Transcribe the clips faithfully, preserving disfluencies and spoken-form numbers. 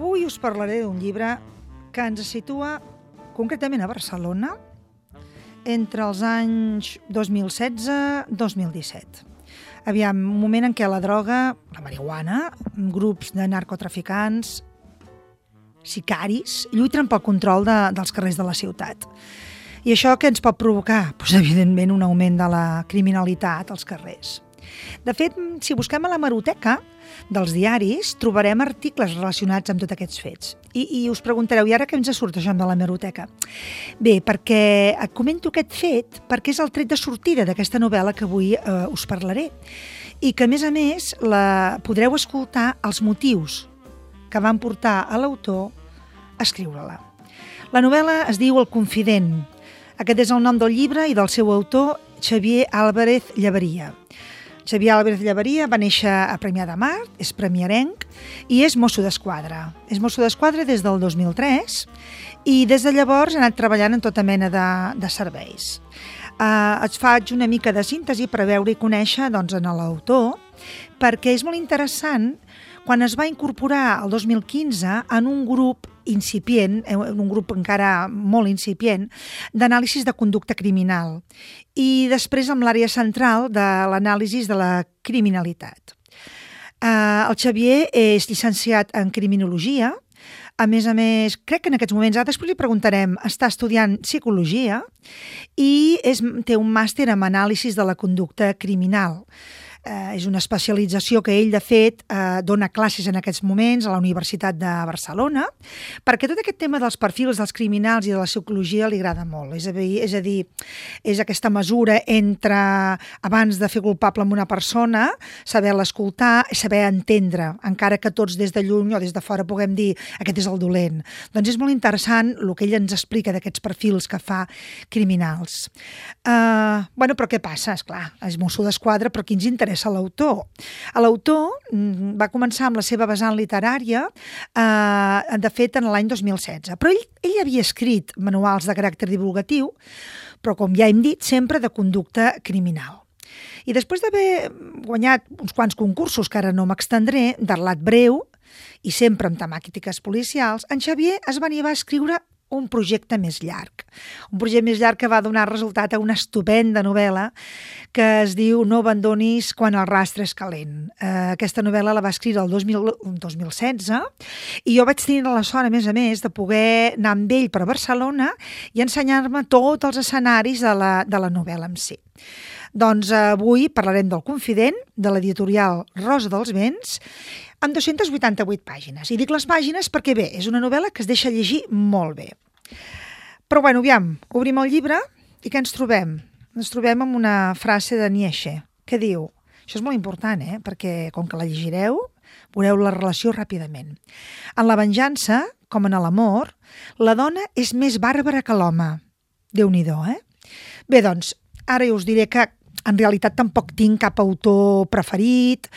Avui us parlaré d'un llibre que ens situa concretament a Barcelona entre els anys dos mil setze i dos mil disset. Aviam, un moment en què la droga, la marihuana, grups de narcotraficants, sicaris, lluiten pel control de, dels carrers de la ciutat. I això què ens pot provocar? Pues, evidentment, un augment de la criminalitat als carrers. De fet, si busquem a l'hemeroteca dels diaris, trobarem articles relacionats amb tots aquests fets. I, i us preguntareu, i ara què ens surt això de l'hemeroteca? Bé, perquè et comento aquest fet perquè és el tret de sortida d'aquesta novel·la que avui eh, us parlaré. I que, a més a més, la podreu escoltar els motius que van portar a l'autor a escriure-la. La novel·la es diu El confident. Aquest és el nom del llibre i del seu autor, Xavier Álvarez Llebaria. Xavier Álvarez Llebaria va néixer a Premià de Mar, és premiarenc i és mosso d'esquadra. És mosso d'esquadra des del dos mil tres i des de llavors ha anat treballant en tota mena de, de serveis. Uh, et faig una mica de síntesi per veure i conèixer doncs, en l'autor, perquè és molt interessant quan es va incorporar el dos mil quinze en un grup incipient, un grup encara molt incipient, d'anàlisis de conducta criminal i després amb l'àrea central de l'anàlisi de la criminalitat. Uh, el Xavier és llicenciat en criminologia, a més a més, crec que en aquests moments, ara després li preguntarem, està estudiant psicologia i és, té un màster en anàlisis de la conducta criminal. Eh, és una especialització que ell, de fet, eh, dona classes en aquests moments a la Universitat de Barcelona, perquè tot aquest tema dels perfils dels criminals i de la psicologia li agrada molt. És a dir, és, a dir, és aquesta mesura entre, abans de fer culpable amb una persona, saber-la escoltar, saber entendre, encara que tots des de lluny o des de fora puguem dir aquest és el dolent. Doncs és molt interessant el que ell ens explica d'aquests perfils que fa criminals. Eh, bueno, però què passa? Esclar, és mosso d'esquadra, però qui ens interessa a l'autor. L'autor va començar amb la seva vessant literària, eh, de fet, en l'any dos mil setze. Però ell, ell havia escrit manuals de caràcter divulgatiu, però, com ja hem dit, sempre de conducta criminal. I després d'haver guanyat uns quants concursos, que ara no m'extendré, de relat breu, i sempre amb temàtiques policials, en Xavier es va animar a escriure un projecte més llarg. Un projecte més llarg que va donar resultat a una estupenda novel·la que es diu No abandonis quan el rastre és calent. Eh, aquesta novel·la la va escriure el dos mil setze i jo vaig tenir la sort, a més a més, de poder anar amb ell per Barcelona i ensenyar-me tots els escenaris de la, de la novel·la en si. Doncs avui parlarem del Confident, de l'editorial Rosa dels Vents, amb dues-centes vuitanta-vuit pàgines. I dic les pàgines perquè, bé, és una novel·la que es deixa llegir molt bé. Però, bueno, aviam, obrim el llibre i què ens trobem? Ens trobem amb una frase de Nietzsche que diu, això és molt important, eh? Perquè com que la llegireu, veureu la relació ràpidament. En la venjança, com en l'amor, la dona és més bàrbara que l'home. Déu-n'hi-do, eh? Bé, doncs, ara us diré que en realitat tampoc tinc cap autor preferit,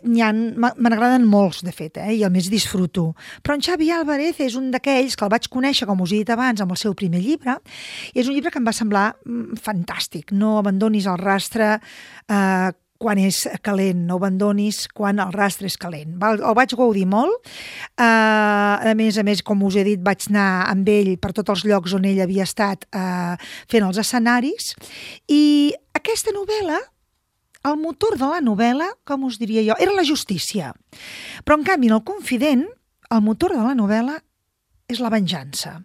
n'hi ha, me n'agraden molts, de fet, eh? I a més disfruto. Però en Xavier Álvarez és un d'aquells que el vaig conèixer, com us he dit abans, amb el seu primer llibre, i és un llibre que em va semblar mm, fantàstic. No abandonis el rastre eh, quan és calent, no abandonis quan el rastre és calent. El, el vaig gaudir molt, eh, a més a més, com us he dit, vaig anar amb ell per tots els llocs on ell havia estat eh, fent els escenaris, i aquesta novel·la, el motor de la novel·la, com us diria jo, era la justícia. Però, en canvi, en El confident, el motor de la novel·la és la venjança.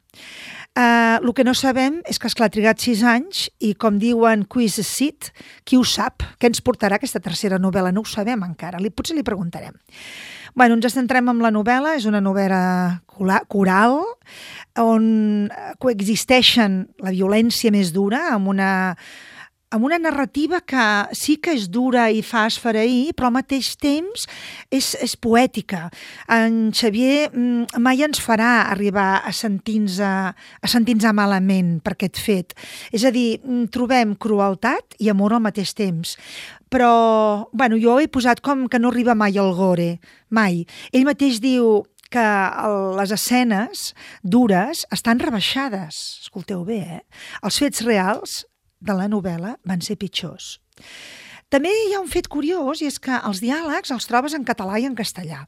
Uh, el que no sabem és que, esclar, ha trigat sis anys i, com diuen Quiz Sit, qui ho sap? Què ens portarà aquesta tercera novel·la? No ho sabem encara, li, potser li preguntarem. Bueno, ens centrem en la novel·la, és una novel·la coral on coexisteixen la violència més dura amb una amb una narrativa que sí que és dura i fa esfereir, però al mateix temps és, és poètica. En Xavier mai ens farà arribar a sentir-nos a sentir-nos malament per aquest fet. És a dir, trobem crueltat i amor al mateix temps. Però, bueno, jo he posat com que no arriba mai al gore, mai. Ell mateix diu que les escenes dures estan rebaixades. Escolteu bé, eh? Els fets reals de la novel·la van ser pitjors. També hi ha un fet curiós i és que els diàlegs els trobes en català i en castellà.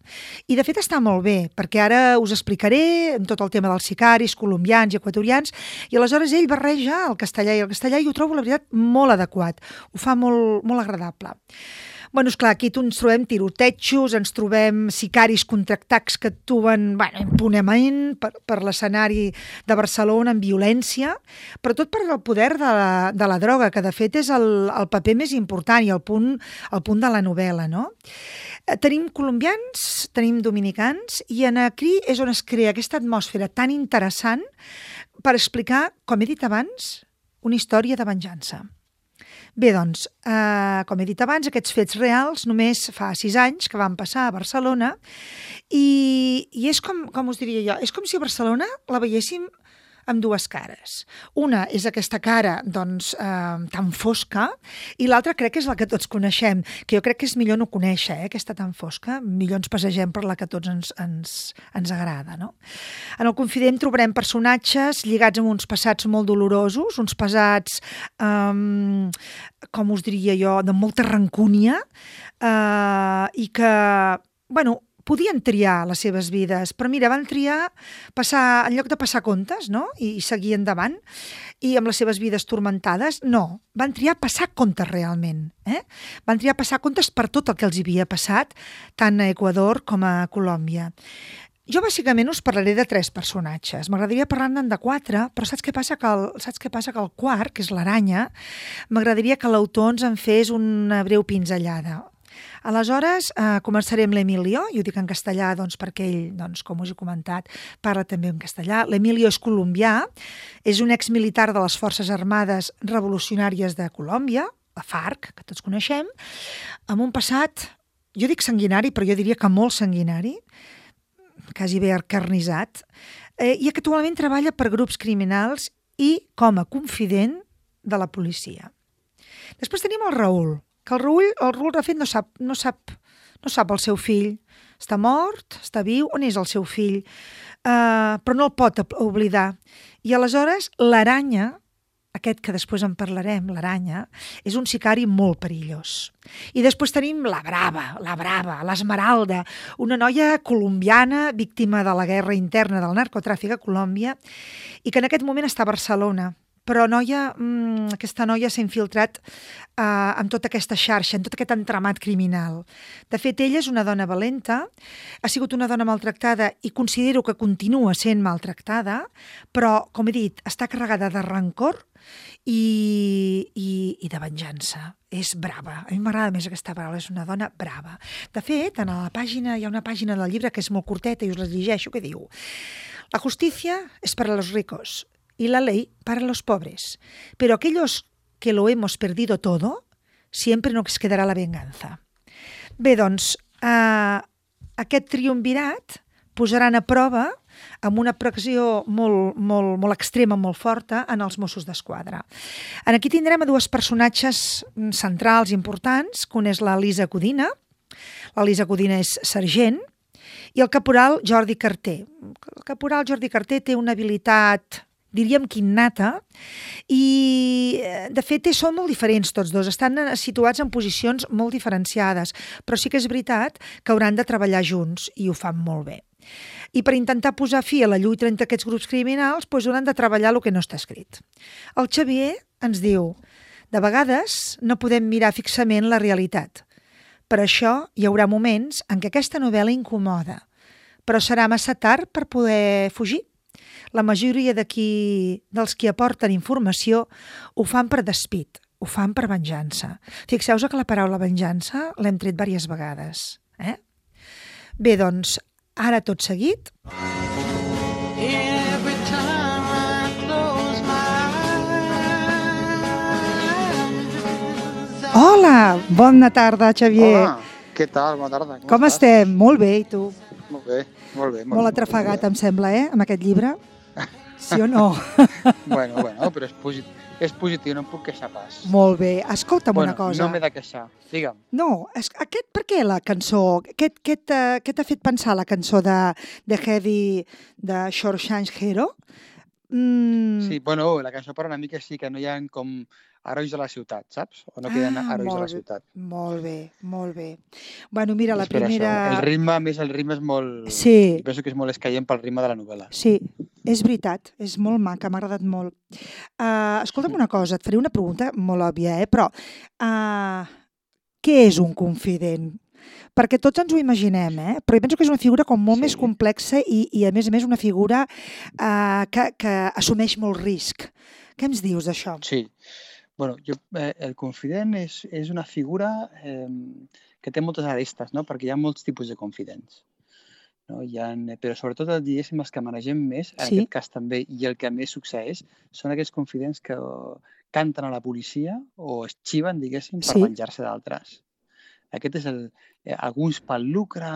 I de fet està molt bé, perquè ara us explicaré tot el tema dels sicaris, colombians i equatorians, i aleshores ell barreja el castellà i el castellà i ho trobo, la veritat, molt adequat. Ho fa molt, molt agradable. Bueno, esclar, aquí ens trobem tirotejos, ens trobem sicaris contractats que actuen, bueno, impunement per, per l'escenari de Barcelona amb violència, però tot per el poder de la, de la droga, que de fet és el, el paper més important i el punt, el punt de la novel·la, no? Tenim colombians, tenim dominicans, i en aquí és on es crea aquesta atmosfera tan interessant per explicar, com he dit abans, una història de venjança. Bé, doncs, eh, com he dit abans, aquests fets reals només fa sis anys que van passar a Barcelona i, i és com, com us diria jo, és com si a Barcelona la veiéssim amb dues cares. Una és aquesta cara, doncs, eh, tan fosca, i l'altra crec que és la que tots coneixem, que jo crec que és millor no conèixer, eh, aquesta tan fosca, millor ens passegem per la que tots ens, ens, ens agrada, no? En el Confident trobarem personatges lligats amb uns passats molt dolorosos, uns passats, eh, com us diria jo, de molta rancúnia, eh, i que, bueno, podien triar les seves vides, però mira, van triar passar, en lloc de passar comptes, no?, i seguir endavant, i amb les seves vides turmentades, no, van triar passar comptes realment, eh? Van triar passar comptes per tot el que els havia passat, tant a Equador com a Colòmbia. Jo bàsicament us parlaré de tres personatges. M'agradaria parlar-ne de quatre, però saps què passa? Que el, saps què passa? Que el quart, que és l'Aranya, m'agradaria que l'autor ens en fes una breu pinzellada. Aleshores, eh, començaré amb l'Emilio, i ho dic en castellà doncs, perquè ell, doncs, com us he comentat, parla també en castellà. L'Emilio és colombià, és un exmilitar de les Forces Armades Revolucionàries de Colòmbia, la FARC, que tots coneixem, amb un passat, jo dic sanguinari, però jo diria que molt sanguinari, quasi bé encarnissat, eh, i que actualment treballa per grups criminals i com a confident de la policia. Després tenim el Raül, que el Raül, el Raül de fet no sap, no sap, no sap el seu fill. Està mort, està viu, on és el seu fill? Uh, però no el pot oblidar. I aleshores l'Aranya, aquest que després en parlarem, l'Aranya, és un sicari molt perillós. I després tenim la Brava, la Brava, l'Esmeralda, una noia colombiana víctima de la guerra interna del narcotràfic a Colòmbia i que en aquest moment està a Barcelona. Però noia, mmm, aquesta noia s'ha infiltrat eh, amb tota aquesta xarxa, en tot aquest entramat criminal. De fet, ella és una dona valenta, ha sigut una dona maltractada i considero que continua sent maltractada, però, com he dit, està carregada de rancor i, i, i de venjança. És brava. A mi m'agrada més aquesta paraula, és una dona brava. De fet, en la pàgina, hi ha una pàgina del llibre que és molt curteta i us la llegeixo, que diu: la justicia es para los ricos y la ley para los pobres. Pero aquellos que lo hemos perdido todo, siempre nos quedará la venganza. Bé, doncs, eh, aquest triumvirat posaran a prova amb una pressió molt, molt, molt extrema, molt forta, en els Mossos d'Esquadra. En aquí tindrem a dues personatges centrals importants, que una és la Lisa Codina. La Lisa Codina és sergent, i el caporal Jordi Carter. El caporal Jordi Carter té una habilitat, diríem que innata, i de fet són molt diferents tots dos, estan situats en posicions molt diferenciades, però sí que és veritat que hauran de treballar junts i ho fan molt bé. I per intentar posar fi a la lluita entre aquests grups criminals doncs hauran de treballar el que no està escrit. El Xavier ens diu: de vegades no podem mirar fixament la realitat. Per això hi haurà moments en què aquesta novel·la incomoda, però serà massa tard per poder fugir. La majoria d'aquí, dels qui aporten informació, ho fan per despit, ho fan per venjança. Fixeu-vos que la paraula venjança l'hem tret diverses vegades. Eh? Bé, doncs, ara tot seguit... Hola! Bona tarda, Xavier. Hola, què tal? Bona tarda. Com, Com estem? Molt bé, i tu? Molt bé, molt bé. Molt, Molt atrafegat, em sembla, eh, amb aquest llibre? Sí o no? Bueno, bueno, però és positiu, és positiu, no em puc queixar pas. Molt bé. Escolta'm bueno, una cosa. no m'he de queixar, digue'm. No, és, aquest, per què la cançó? Què, què t'ha fet pensar la cançó de, de Heavy de Shawshank Hero? Mm, Sí, bueno, la cançó parla una mica sí que no hi ha com herois de la ciutat, saps? O no queden ah, herois de la molt bé, ciutat. molt bé, molt bé. Bueno, mira, la És per això. primera... El ritme, a més, el ritme és molt... Sí, Jo penso que és molt escaient pel ritme de la novel·la. sí, és veritat, és molt maca, m'ha agradat molt. Uh, escolta'm una cosa, et faré una pregunta molt òbvia, eh? Però uh, què és un confident? Perquè tots ens ho imaginem, eh? Però jo penso que és una figura com molt Sí, més complexa i, i a més a més una figura uh, que, que assumeix molt risc. Què ens dius d'això? sí. Bueno, jo, eh, el confident és, és una figura eh, que té moltes arestes, no? Perquè hi ha molts tipus de confidents. No? Hi ha, però sobretot, diguéssim, els que manegem més, en Sí? aquest cas també, i el que més succeeix, són aquells confidents que canten a la policia o es xiven, diguéssim, per Sí? venjar-se d'altres. Aquest és el, eh, alguns pel lucre,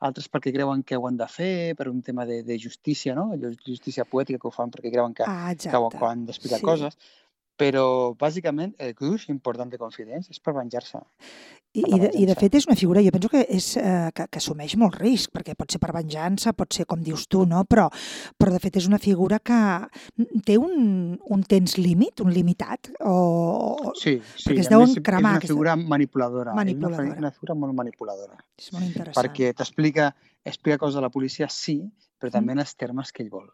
altres perquè creuen que ho han de fer, per un tema de, de justícia, no? Allò, justícia poètica que ho fan perquè creuen que, Ah, que, ho, exacte. que han d'explicar Sí. coses. Però, bàsicament, el gruix important de confidents és per venjar-se, I, per i, la de, I de venjança. fet és una figura, jo penso que, és, eh, que, que assumeix molt risc, perquè pot ser per venjança, pot ser com dius tu, no? Però, però de fet és una figura que té un, un temps límit, un limitat, o... Sí, sí, perquè es a més deuen és cremar, una aquesta figura manipuladora, és una, fe- manipuladora. una figura molt manipuladora, És molt interessant. perquè t'explica explica coses a la policia, sí, però Mm. també en els termes que ell vol.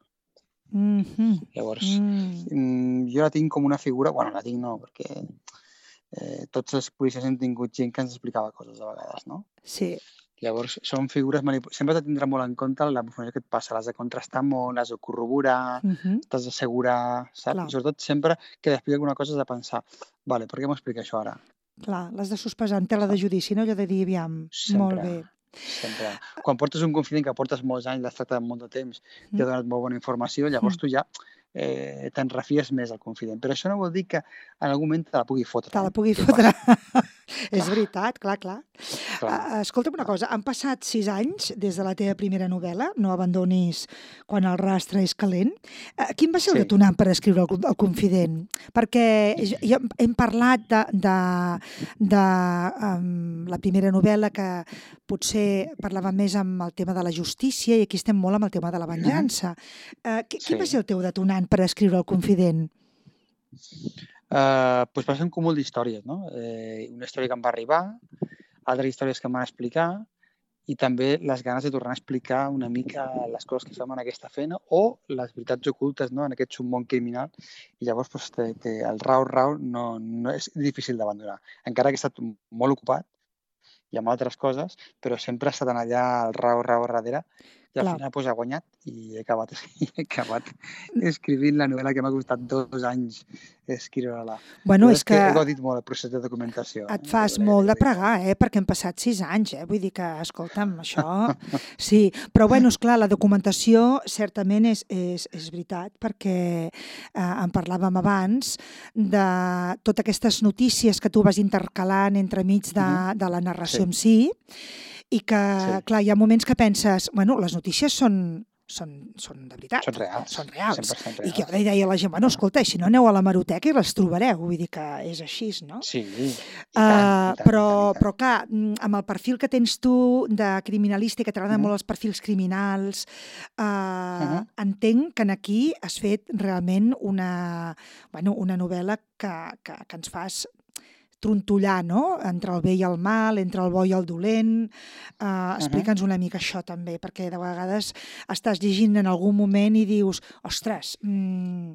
Mm-hmm. Llavors, Mm. mm, jo la tinc com una figura, bueno, la tinc no, perquè eh, tots els policies hem tingut gent que ens explicava coses a vegades, no? Sí, Llavors, són figures manipulades. Sempre t'ha de tindre molt en compte la informació que et passa, l'has de contrastar molt, l'has de corroborar, mm-hmm. t'has d'assegurar, saps? Clar. I sobretot sempre que t'explica alguna cosa has de pensar, vale, per què m'explica això ara? Clar, l'has de sospesar en tela de judici, no? Allò de dir, aviam, molt Sempre, bé. sempre. Quan portes un confident que portes molts anys, l'has tractat molt de temps, Mm. t'ha donat molt bona informació, llavors Mm. tu ja eh, te'n refies més del confident. Però això no vol dir que en algun moment te la pugui fotre. Te la Eh? pugui Què fotre. passa? És Clar, veritat, clar, clar. clar, Uh, escolta'm una clar. cosa, han passat sis anys des de la teva primera novel·la, No abandonis quan el rastre és calent. Uh, quin va ser el Sí. detonant per escriure el, co- el Confident? Perquè ja, ja hem parlat de, de, de um, la primera novel·la que potser parlava més amb el tema de la justícia i aquí estem molt amb el tema de la venjança. Uh, qui- quin va Sí. ser el teu detonant per escriure el Confident? Uh, doncs va ser un cúmul d'històries, no? Eh, una història que em va arribar, altres històries que em van explicar i també les ganes de tornar a explicar una mica les coses que fem en aquesta feina o les veritats ocultes, no?, en aquest submón criminal. I llavors doncs, te, te, el rau-rau no, no és difícil d'abandonar. Encara que he estat molt ocupat i amb altres coses, però sempre ha estat allà el rau-rau darrere i al Clar. final doncs, ha guanyat i he acabat, he acabat escrivint la novel·la que m'ha costat dos anys escriure-la. Bueno, La és veritat és que he que gaudit molt el procés de documentació. et eh? fas L'he- molt l'he de gaudit molt. pregar, eh? Perquè han passat sis anys, eh? Vull dir que, escolta'm, això... Sí, però bueno, esclar, la documentació certament és, és, és veritat, perquè eh, en parlàvem abans de totes aquestes notícies que tu vas intercalant entremig de, Mhm. de la narració Sí. en si, i que, Sí. clar, hi ha moments que penses, bueno, les notícies són, són, són de veritat. Són reals. Són reals. cent per cent I que jo reals. li deia a la gent, bueno, escolta, si no aneu a la Maroteca i les trobareu, vull dir que és així, no? Sí, i tant, Uh, i tant, però, i tant, i tant. però clar, mm, amb el perfil que tens tu de criminalista, que t'agraden Mhm. molt els perfils criminals, uh, Mhm. entenc que en aquí has fet realment una, bueno, una novel·la que, que, que ens fas trontollar, no?, entre el bé i el mal, entre el bo i el dolent. Uh, Explica'ns una mica això també, perquè de vegades estàs llegint en algun moment i dius, ostres, mm,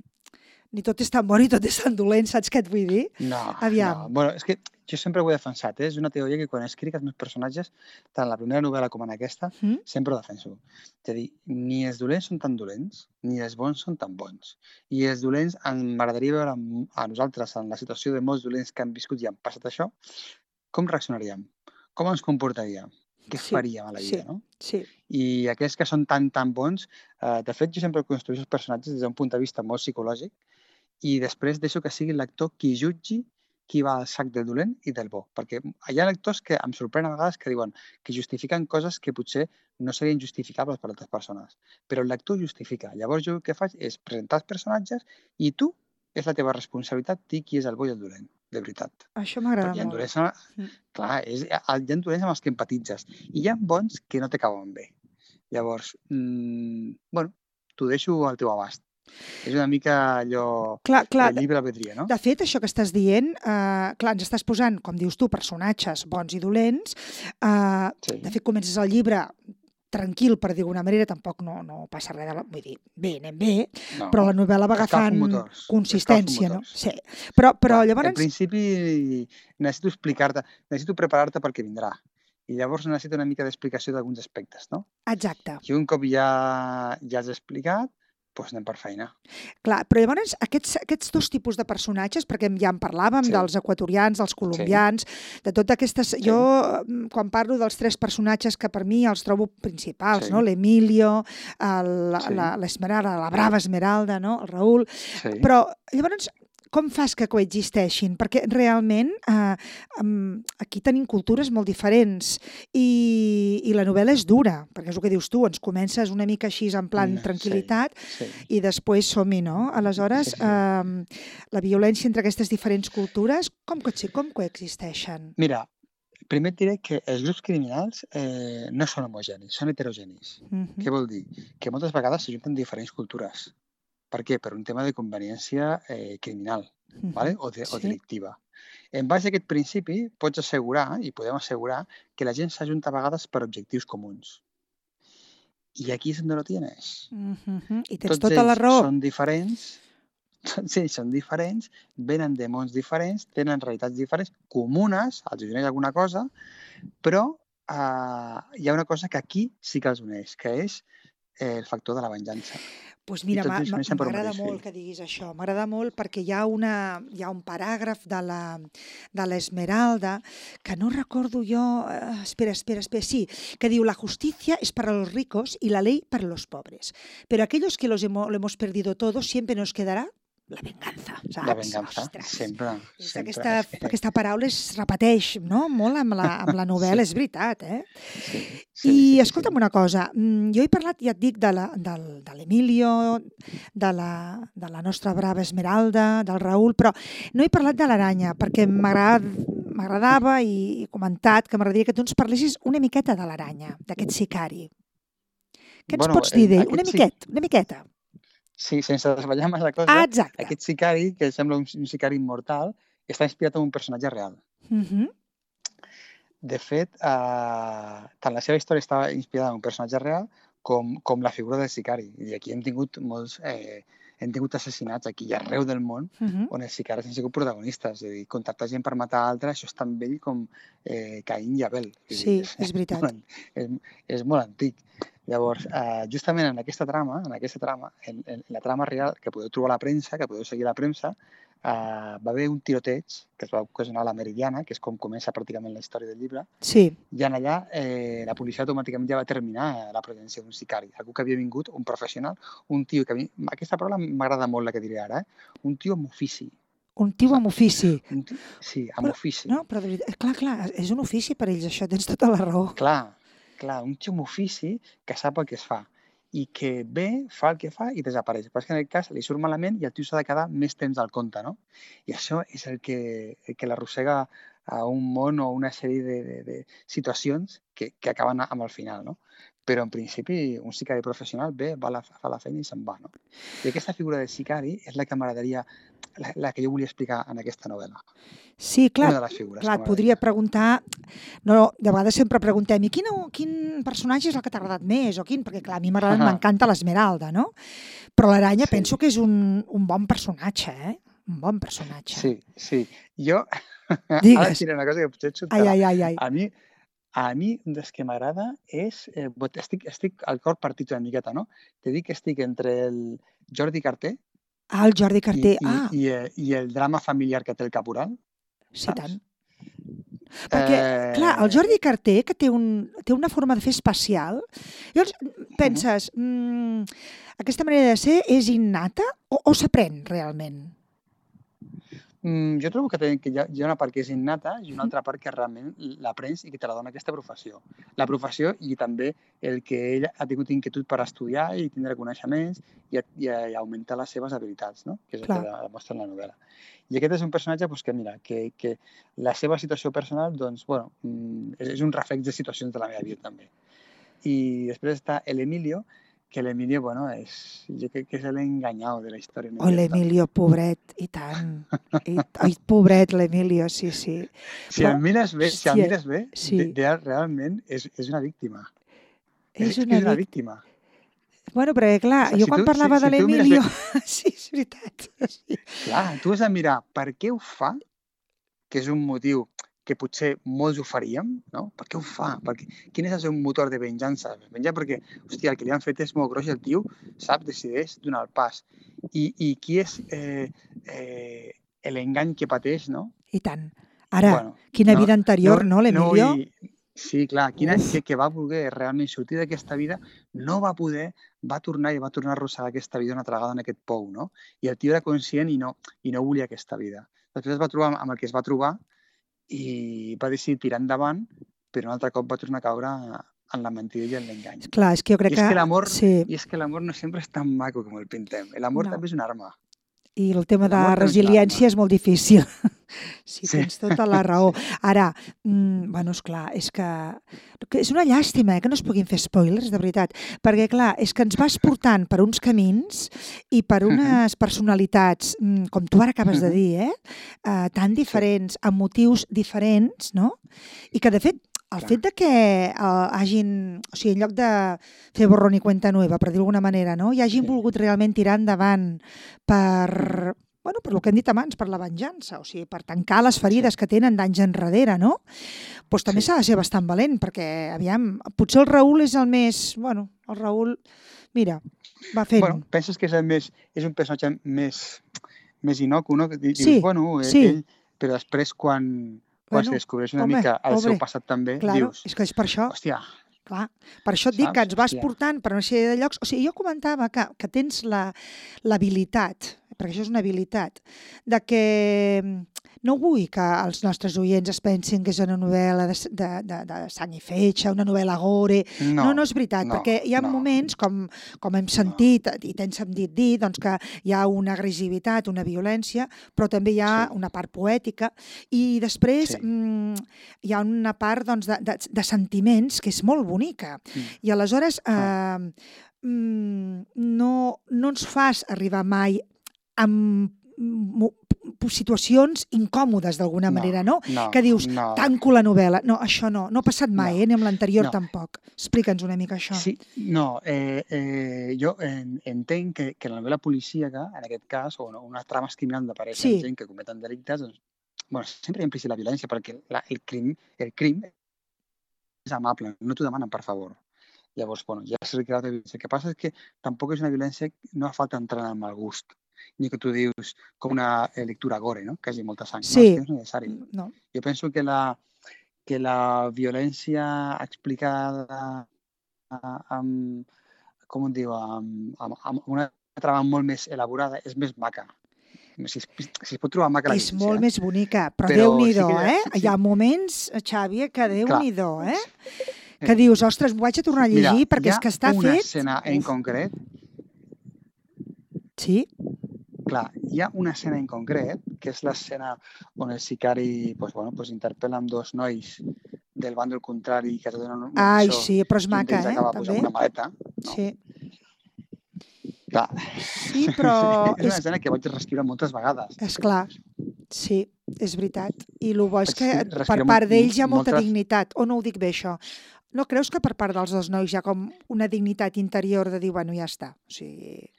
ni tot és tan bo ni tot és tan dolent, saps què et vull dir? No, Aviam. no. Bueno, és que jo sempre ho he defensat, eh? És una teoria que quan escric els meus personatges, tant en la primera novel·la com en aquesta, Mm? sempre ho defenso. És a dir, ni els dolents són tan dolents, ni els bons són tan bons. I els dolents, em- m'agradaria veure amb- a nosaltres, en la situació de molts dolents que han viscut i han passat això, com reaccionaríem? Com ens comportaríem? Què Sí, faríem a la vida, sí, no? sí. I aquells que són tan, tan bons, eh, de fet, jo sempre construeixo els personatges des d'un punt de vista molt psicològic i després deixo que sigui el lector qui jutgi qui va al sac del dolent i del bo. Perquè hi ha lectors que em sorprenen a vegades que diuen que justifiquen coses que potser no serien justificables per altres persones. Però el lector justifica. Llavors jo el que faig és presentar els personatges i tu és la teva responsabilitat dir qui és el bo i el dolent, de veritat. Això m'agrada Perquè hi ha molt. dolents, amb- Mm. clar, és, hi ha dolents amb els que empatitzes i hi ha bons que no te cauen bé. Llavors, mm, bueno, t'ho deixo al teu abast. És una mica allò, Clar, clar, el llibre albedria, no? de fet, això que estàs dient, eh, clar, ens estàs posant, com dius tu, personatges bons i dolents. Eh, Sí. de fet, comences el llibre tranquil, per dir d'alguna manera, tampoc no, no passa res de la... Vull dir, bé, anem bé, No. però la novel·la va Escalfo agafant motors. consistència, Escalfo no? motors. Sí. Però, però Clar, llavors... en principi necessito explicar-te, necessito preparar-te pel que vindrà. I llavors necessito una mica d'explicació d'alguns aspectes, no? Exacte. I un cop ja, ja has explicat, doncs anem per feina. Clar, però llavors aquests, aquests dos tipus de personatges, perquè ja en parlàvem, Sí. dels equatorians, dels colombians, de totes aquestes... Sí. Jo, mm, quan parlo dels tres personatges que per mi els trobo principals, Sí. no? L'Emilio, el- la- Sí. la- l'Esmeralda, la brava Esmeralda, no? El Raül... Sí. Però llavors, com fas que coexisteixin? Perquè realment eh, em, aquí tenim cultures molt diferents i, i la novel·la és dura, perquè és el que dius tu, ens comences una mica així en plan Mm, tranquil·litat Sí. i després som-hi, no? Aleshores, Sí, sí. eh, la violència entre aquestes diferents cultures, com, co- com coexisteixen? Mira, primer et diré que els grups criminals eh, no són homogenis, són heterogenis. Mhm. Què vol dir? Que moltes vegades s'ajunten diferents cultures. Per què? Per un tema de conveniència eh, criminal, Mhm. ¿vale? o, de, o Sí. delictiva. En base a aquest principi, pots assegurar, i podem assegurar, que la gent s'ajunta a vegades per objectius comuns. I aquí és on lo tienes. Mhm. I tens Tots tota la ells raó. són diferents, tots ells són diferents, venen de mons diferents, tenen realitats diferents, comunes, els uneix alguna cosa, però eh, hi ha una cosa que aquí sí que els uneix, que és eh, el factor de la venjança. Pues I mira, tots m'a- ells m'a- neixen per un m'agrada mateix molt fill. que diguis això, m'agrada molt perquè hi ha, una, hi ha un paràgraf de la de l'Esmeralda que no recordo jo, eh, espera, espera, espera, sí, que diu la justicia es para los ricos y la ley para los pobres, pero aquellos que los hemo- lo hemos perdido todo siempre nos quedará la venganza, saps? La venganza, Ostres. sempre, És sempre. Aquesta, És que- aquesta paraula es repeteix, no?, molt amb la, amb la novel·la, és veritat, eh? Sí, I sí, sí, escolta'm sí. una cosa, mm, jo he parlat, ja et dic, de la- del- de l'Emilio, de, la, de la nostra brava Esmeralda, del Raül, però no he parlat de l'Aranya, perquè m'agrad- m'agradava i he comentat que m'agradaria que tu ens parlessis una miqueta de l'Aranya, d'aquest sicari. Què ens Bueno, pots dir el- d'ell? aquest Una sí- miqueta, una miqueta. Sí, sense desvetllar massa cosa, Ah, exacte. aquest sicari, que sembla un, un sicari immortal, està inspirat en un personatge real. Mhm. De fet, eh, tant la seva història estava inspirada en un personatge real com, com la figura del sicari. I aquí hem tingut molts... Eh, hem tingut assassinats aquí i arreu del món Mhm. on els sicaris han sigut protagonistes. És a dir, contractar gent per matar altres, això és tan vell com eh, Caín i Abel. És a Sí, dir, és veritat. molt, és, és molt antic. Llavors, eh, justament en aquesta trama, en aquesta trama, en, en la trama real que podeu trobar a la premsa, que podeu seguir a la premsa, eh, va haver un tiroteig que es va ocasionar a la Meridiana, que és com comença pràcticament la història del llibre, Sí, i en allà eh, la policia automàticament ja va terminar la presència d'un sicari, algú que havia vingut, un professional, un tio que... a mi- Aquesta paraula m'agrada molt, la que diré ara, eh? Un tio amb ofici. un tio amb ofici. Un tio, sí, amb Però- ofici. No, però de veritat, clar, clar, és un ofici per ells, això, tens tota la raó. Clar, clar, un tio amb ofici que sap el que es fa i que ve, fa el que fa i desapareix. Però és que en aquest cas li surt malament i el tio s'ha de quedar més temps al compte, no? I això és el que, el que l'arrossega a un món o una sèrie de, de, de situacions que, que acaben amb el final, no? Però en principi un sicari professional ve, va la, fa la feina i se'n va, no? I aquesta figura de sicari és la que m'agradaria, la, la que jo volia explicar en aquesta novel·la. Sí, clar, Una de les figures clar, que et podria m'agradaria. preguntar... No, de vegades sempre preguntem, i quin, quin personatge és el que t'ha agradat més? O quin? Perquè, clar, a mi m'agrada, m'encanta l'Esmeralda, no? Però l'Aranya Sí. penso que és un, un bon personatge, eh? Un bon personatge. Sí, sí. Jo, ara Digues. et diré una cosa que potser et Ai, sobtarà. ai, ai, ai. A mi, a mi un dels que m'agrada és... Eh, bot- estic, estic al cor partit una miqueta, no? Te dic que estic entre el Jordi Carter Ah, el Jordi i, Carter. i, Ah, i, eh, i el drama familiar que té el Caporal. sí, saps? tant. Perquè, clar, el Eh, Jordi Carter, que té, un, té una forma de fer especial, llavors penses, mm, aquesta manera de ser és innata o, o s'aprèn realment? Mm, jo trobo que, té, que hi, ha, hi ha una part que és innata i una altra part que realment l'aprens i que te la dona aquesta professió. La professió i també el que ell ha tingut inquietud per estudiar i tindre coneixements i, i, i augmentar les seves habilitats, no? Que és el Clar. que demostra en la novel·la. I aquest és un personatge doncs, que, mira, que, que la seva situació personal doncs, bueno, mm, és un reflex de situacions de la meva vida també. I després està l'Emilio, que l'Emilio, bueno, és, jo crec que és l'enganyau de la història. Oh, l'Emilio, pobret, i tant. I, ai, pobret, l'Emilio, sí, sí. Si el mires bé, si el hòstia, mires bé, sí. de, de, realment és, és una víctima. És, és una, que és una vic... víctima. Bueno, perquè clar, O sigui, jo si quan tu, parlava si, de si tu mires l'Emilio... bé- Sí, és veritat. Sí. Clar, tu has de mirar per què ho fa, que és un motiu que potser molts ho faríem, no? Per què ho fa? Perquè, quin és el seu motor de venjança? Venjar perquè, hòstia, el que li han fet és molt gros i el tio, sap, decideix donar el pas. I, i qui és eh, eh, l'engany que pateix, no? I tant. Ara, Bueno, quina no, vida anterior, no, no l'Emilio? vull- Sí, clar, quina, Uf. que, que va voler realment sortir d'aquesta vida, no va poder, va tornar i va tornar a arrossegar aquesta vida una altra vegada en aquest pou, no? I el tio era conscient i no, i no volia aquesta vida. Després es va trobar amb el que es va trobar i va decidir tirar endavant, però un altre cop va tornar a caure en la mentida i en l'engany. Clar, és que jo crec I és que... que l'amor sí. i és que l'amor no sempre és tan maco com el pintem. L'amor No. també és una arma. I el tema de L'amor també és una resiliència arma. és molt difícil. Sí, Sí. tens tota la raó. Sí. Ara, mm, bueno, esclar, és que, que és una llàstima eh, que no es puguin fer spoilers, de veritat, perquè, clar, és que ens vas portant per uns camins i per unes personalitats, mm, com tu ara acabes de dir, eh, eh, tan diferents, amb motius diferents, no? I que, de fet, el Clar. fet de que eh, hagin, o sigui, en lloc de fer borrón i cuenta nueva, per dir d'alguna manera, no? I hagin Sí. volgut realment tirar endavant per, bueno, per el que hem dit abans, per la venjança, o sigui, per tancar les ferides Sí. que tenen d'anys enrere, no? Doncs també Sí. s'ha de ser bastant valent, perquè, aviam, potser el Raül és el més, bueno, el Raül, mira, va fent. Bueno, penses que és, el més, és un personatge més, més inocu, no? Que dius, Sí, bueno, ell, sí. ell, però després quan, quan Bueno, se descobreix una home, mica el home, seu passat també, claro, dius, és que és per això, hòstia, clar, per això et dic que saps? ens vas Hòstia. portant per una sèrie de llocs. O sigui, jo comentava que, que tens la- l'habilitat, perquè això és una habilitat, de que mm, no vull que els nostres oients es pensin que és una novel·la de, de, de, de sang i fetge, una novel·la gore. No, No, no és veritat, no, perquè hi ha no. moments, com, com hem sentit i tens sentit dir, doncs, que hi ha una agressivitat, una violència, però també hi ha Sí. una part poètica i després Sí. mm, hi ha una part doncs, de, de, de sentiments que és molt bonica. Mm. I aleshores eh, Ah. mm, no, no ens fas arribar mai amb mo- situacions incòmodes d'alguna No, manera, no? no, Que dius, no. tanco la novel·la. No, això no, no ha passat mai, No, eh? ni amb l'anterior no. tampoc. Explica'ns una mica això. Sí, no, eh, eh, jo en, entenc que, que la novel·la policíaca, en aquest cas, o no, unes trames criminals on apareixen Sí. gent que cometen delictes, doncs, bueno, sempre hi ha implícit la violència, perquè la, el, crim, el crim és amable, no t'ho demanen per favor. Llavors, bueno, ja s'ha creat la violència. El que passa és que tampoc és una violència, no fa falta entrar en el mal gust, ni que tu dius com una eh, lectura gore, no? Que hi hagi molta sang. Sí. No, és que no és necessari. No. Jo penso que la, que la violència explicada amb, com et diu, amb, amb, amb una trama molt més elaborada és més maca. Si es, si es pot trobar maca la És violència. molt més bonica, però, Però Déu-n'hi-do, sí que- eh? sí, Hi ha sí. moments, Xavi, que Déu-n'hi-do, eh? Eh, Que dius, ostres, m'ho vaig a tornar a llegir Mira, perquè hi és ha que està una fet... escena en Uf, concret, sí? clar, hi ha una escena en concret, que és l'escena on el sicari pues, bueno, pues, interpel·la amb dos nois del bàndol contrari que te donen una Ai, lliçó sí, però és i un maca, d'ells eh? acaba pues, També. amb una maleta. No? Sí. Clar. Sí, però és una és- escena que vaig reescriure moltes vegades. És clar, sí, és veritat. I el bo és que Vaig per respirar part molt- d'ells hi ha molta moltes- dignitat, o no ho dic bé, això? No creus que per part dels dos nois hi ha com una dignitat interior de dir, bueno, ja està? O sigui,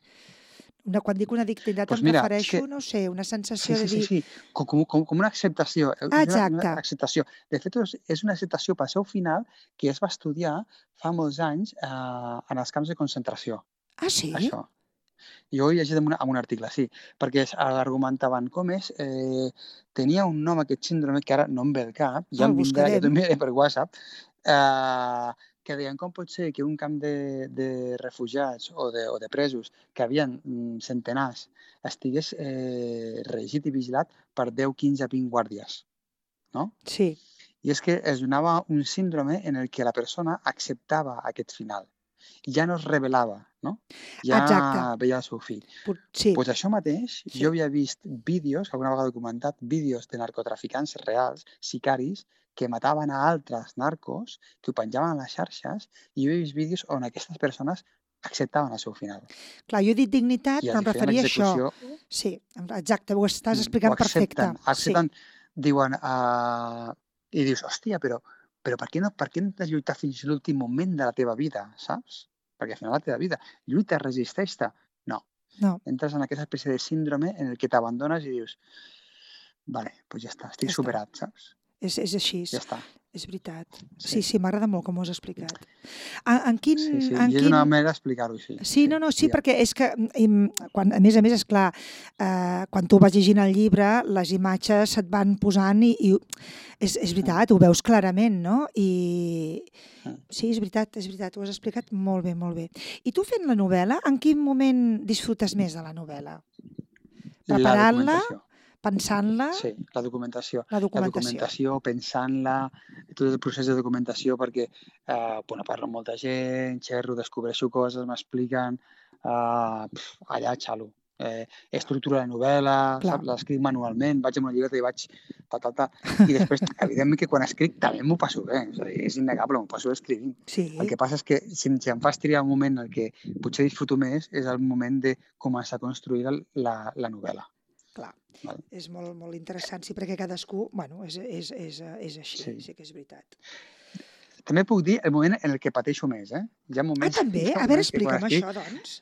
una, quan dic una dignitat Pues em mira, és refereixo, que- no sé, una Sí, sensació sí, de sí, dir... sí. Com, com, com una acceptació. És una- Exacte. Una acceptació. De fet, és- és una acceptació pel seu final que es va estudiar fa molts anys eh, en els camps de concentració. Ah, sí? Això. Jo ho he llegit en, una, en un article, sí, perquè es- argumentaven com és, eh, tenia un nom aquest síndrome que ara no em ve al cap, ja El em vindrà, ja buscarem. t'ho enviaré per WhatsApp, eh, que deien com pot ser que un camp de, de refugiats o de, o de presos que havien mm, centenars estigués eh, regit i vigilat per deu, quinze, vint guàrdies, no? Sí, I és que es donava un síndrome en el que la persona acceptava aquest final. Ja no es rebel·lava, no? Ja Exacte. veia el seu fill. pot- sí, Pues això mateix, Sí. jo havia vist vídeos, alguna vegada documentat, vídeos de narcotraficants reals, sicaris, que mataven a altres narcos, que ho penjaven a les xarxes, i jo he vist vídeos on aquestes persones acceptaven el seu final. Clar, jo he dit dignitat, I però em referia a això. l'execució Sí, exacte, ho estàs ho explicant perfecte. accepten, accepten, diuen, uh, i dius, hòstia, però, però per què no per què no t'has lluitat fins a l'últim moment de la teva vida, saps? Perquè al final la teva vida, lluita, resisteix-te. No, No, entres en aquesta espècie de síndrome en el que t'abandones i dius, vale, doncs ja està, estic Ja està. superat, saps? és, és així, Ja està. és veritat. Sí, Sí. sí, m'agrada molt com ho has explicat. En, en quin... Sí, sí, en i és quin... una manera d'explicar-ho així. Sí, no, no, sí, digue'm. perquè és que, im, quan, a més a més, és clar, eh, quan tu vas llegint el llibre, les imatges se't van posant i, i és, és veritat, ho veus clarament, no? I Mm. sí, és veritat, és veritat, ho has explicat molt bé, molt bé. I tu fent la novel·la, en quin moment disfrutes més de la novel·la? La Preparant-la, documentació. pensant-la, Sí, la documentació. la La documentació. documentació, pensant-la, tot el procés de documentació, perquè eh, bueno, parlo amb molta gent, xerro, descobreixo coses, m'expliquen, eh, pf, allà xalo. Eh, estructura la novel·la, Clar. saps? L'escric manualment, vaig amb una llibreta i vaig ta, ta, ta. I després, evidentment que quan escric també m'ho passo bé, és, a dir, és innegable, m'ho passo bé escrivint. Sí, El que passa és que si, si em fas triar un moment en el que potser disfruto més és el moment de començar a construir el- la, la novel·la. clar. Val? És molt, molt interessant, sí, perquè cadascú, bueno, és, és, és, és així, sí. Sí. sí que és veritat. També puc dir el moment en el que pateixo més, eh? Hi ha Ah, moments, també? hi ha A veure, moments que quan explica'm escric, això, doncs.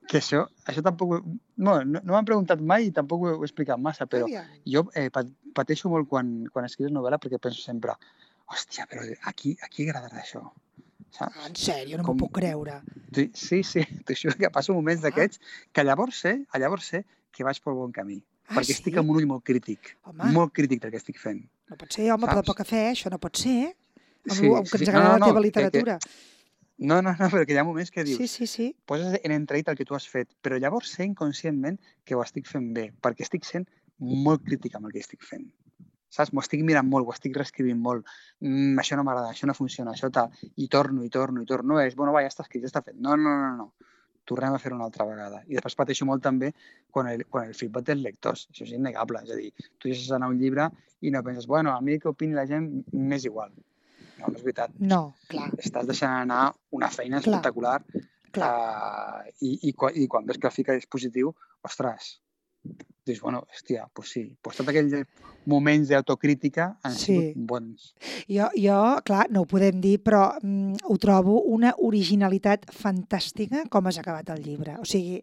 que això, això tampoc... ho- No, no, no m'han preguntat mai i tampoc ho he, ho he explicat massa, però Aviam. jo eh, pa- pateixo molt quan, quan escrius novel·la perquè penso sempre, hòstia, però a qui, a qui agradarà això? Saps? Ah, en sèrio, no m'ho Com- puc creure. Sí, sí, sí, t'ho juro que passo moments Ah. d'aquests que llavors sé, llavors sé que vaig pel bon camí. Ah, perquè sí? estic amb un ull molt crític, Home. molt crític del que estic fent. No pot ser, home, però de Saps? poc cafè, això no pot ser. Amb, Sí, lo, amb que sí, ens sí. agrada No, no, la teva no, que- que- literatura. No, no, no, però que hi ha moments que dius, Sí, sí, sí. poses en entredit el que tu has fet, però llavors sé inconscientment que ho estic fent bé, perquè estic sent molt crític amb el que estic fent. Saps? M'ho estic mirant molt, ho estic reescrivint molt. Mm, això no m'agrada, això no funciona, això tal. I torno, i torno, i torno. No és, bueno, va, ja està escrit, ja està fet. No, no, no, no. Tornem a fer-ho una altra vegada. I després pateixo molt també quan el, quan el feedback dels lectors. Això és innegable. És a dir, tu deixes anar un llibre i no penses, bueno, a mi que opini la gent m'és igual. No, no és veritat. No, clar, Estàs deixant anar una feina Clar. espectacular clar. uh, i, i, quan, i quan ves que el fica és positiu, ostres, dius, bueno, hòstia, doncs sí, doncs tots aquells moments d'autocrítica han Sí. sigut bons. Jo, jo, clar, no ho podem dir, però mm, ho trobo una originalitat fantàstica com has acabat el llibre. O sigui,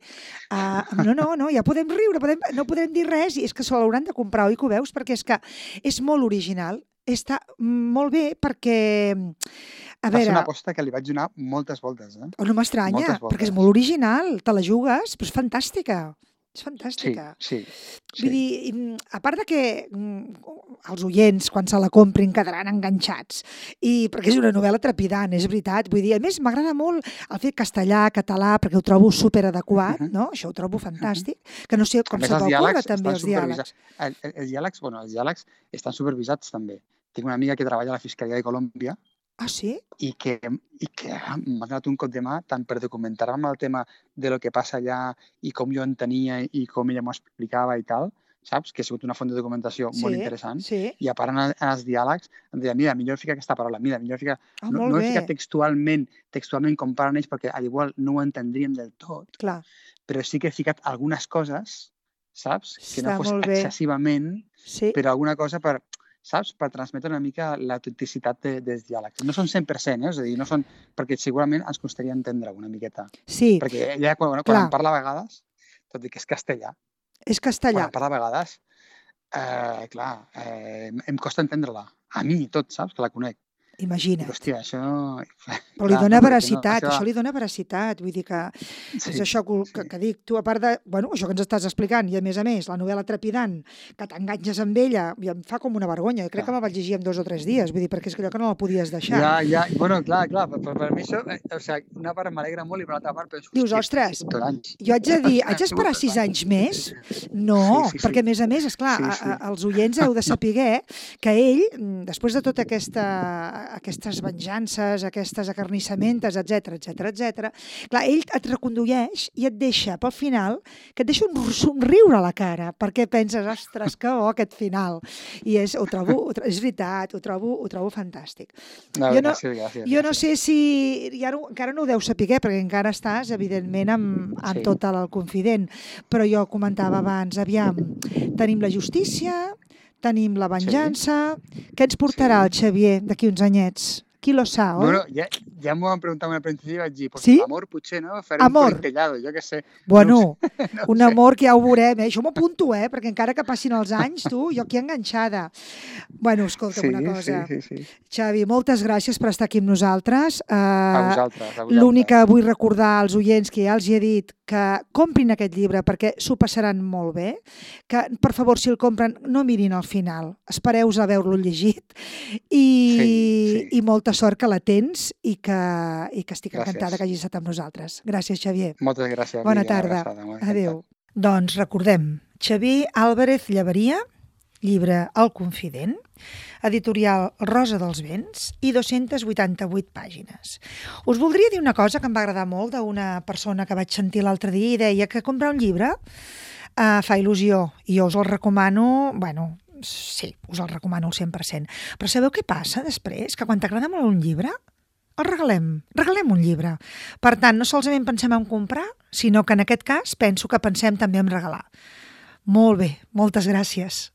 uh, no, no, no, ja podem riure, podem, no podem dir res, i és que se l'hauran de comprar, oi que ho veus? Perquè és que és molt original, està molt bé perquè, a Va ser veure, una aposta que li vaig donar moltes voltes, eh? oh, no m'estranya, moltes voltes. perquè és molt original, te la jugues, però és fantàstica. És Sí, fantàstica. sí. Vull dir, mm, a part de que mm, els oients, quan se la comprin, quedaran enganxats, i perquè és una novel·la trepidant, és veritat. Vull dir, a més, m'agrada molt el fet castellà, català, perquè ho trobo superadequat, Uh -huh. no? Això ho trobo fantàstic. Que no sé A com més, se els t'ocurre diàlegs també, estan els diàlegs. supervisats. El, el, els diàlegs, bueno, els diàlegs estan supervisats també. Tinc una amiga que treballa a la Fiscalia de Colòmbia Ah, sí? i que, i que m'ha donat un cop de mà tant per documentar-me el tema de lo que passa allà i com jo entenia i com ella m'ho explicava i tal, saps? Que ha sigut una font de documentació Sí, molt interessant. sí. I a part en, el- en els diàlegs em deia, mira, millor fica aquesta paraula, mira, millor fica... Ah, no molt no bé. he ficat textualment, textualment com parlen ells, perquè al igual no ho entendríem del tot, Clar, però sí que he ficat algunes coses, saps? Que no Està fos molt bé. excessivament, sí. però alguna cosa per, saps? Per transmetre una mica l'autenticitat de, dels diàlegs. No són cent per cent, eh? És a dir, no són... Perquè segurament ens costaria entendre una miqueta. Sí, Perquè ella, quan, quan Clar. em parla a vegades, tot i que és castellà, és quan castellà. em parla a vegades, eh, clar, eh, em costa entendre-la. A mi, tot, saps? Que la conec. Dic, Imagina't. hòstia, això... Però li Clar, dona no, perquè veracitat, no, això li dona veracitat, vull dir que Sí, és això que, que, sí. que dic, tu a part de, bueno, això que ens estàs explicant, i a més a més, la novel·la trepidant, que t'enganxes amb ella, i em fa com una vergonya, jo crec Clar. que me vaig llegir en dos o tres dies, vull dir, perquè és que allò que no la podies deixar. Ja, ja, bueno, clar, clar, per, per, per mi això, eh, o sigui, una part m'alegra molt i per l'altra part penso, Dius, hòstia, ostres, tot anys. Jo haig de dir, haig d'esperar sis anys més? No, Sí, sí, sí. perquè a més a més, esclar, Sí, a- sí. a- els oients heu de saber que ell, mm, després de tota aquesta, aquestes venjances, aquestes acarnissamentes, etc etc etc. Clar, ell et recondueix i et deixa, pel final, que et deixa un somriure a la cara, perquè penses, ostres, que bo aquest final. I és, ho trobo, ho trobo, és veritat, ho trobo, ho trobo fantàstic. No, jo no, gràcies, gràcies. Jo no sé si... Ja no, encara no ho deu saber, perquè encara estàs, evidentment, amb, amb Sí. tot el confident. Però jo comentava abans, aviam, tenim la justícia, tenim la venjança... Sí. Què ens portarà el Xavier d'aquí uns anyets? Qui lo sa, oi? Bueno, ja, ja m'ho van preguntar al principi i vaig dir, pues Sí? l'amor potser, no? Farem Amor. un politellado, jo què sé. Bueno, No ho sé, no ho un sé. amor que ja ho veurem, eh? Jo m'ho apunto, eh? Perquè encara que passin els anys, tu, jo aquí enganxada. Bueno, escolta'm Sí, una cosa. sí, sí, sí. Xavi, moltes gràcies per estar aquí amb nosaltres. A Uh, vosaltres, a vosaltres. L'únic que vull recordar als oients, que ja els hi he dit, que comprin aquest llibre perquè s'ho passaran molt bé, que, per favor, si el compren, no mirin al final, espereu a veure-lo llegit i, Sí, sí. i molta sort que la tens i que, i que estic Gràcies. encantada que hagis estat amb nosaltres. Gràcies, Xavier. Moltes gràcies. Bona Lídia, una tarda. abraçada, m'ho he encantat. Adéu. Doncs recordem, Xavier Álvarez Llaveria, llibre El Confident, editorial Rosa dels Vents i dues-centes vuitanta-vuit pàgines. Us voldria dir una cosa que em va agradar molt d'una persona que vaig sentir l'altre dia i deia que comprar un llibre uh, fa il·lusió i jo us el recomano, bueno, sí, us el recomano al cent per cent. Però sabeu què passa després? Que quan t'agrada molt un llibre, el regalem, regalem un llibre. Per tant, no solament pensem en comprar, sinó que en aquest cas penso que pensem també en regalar. Molt bé, moltes gràcies.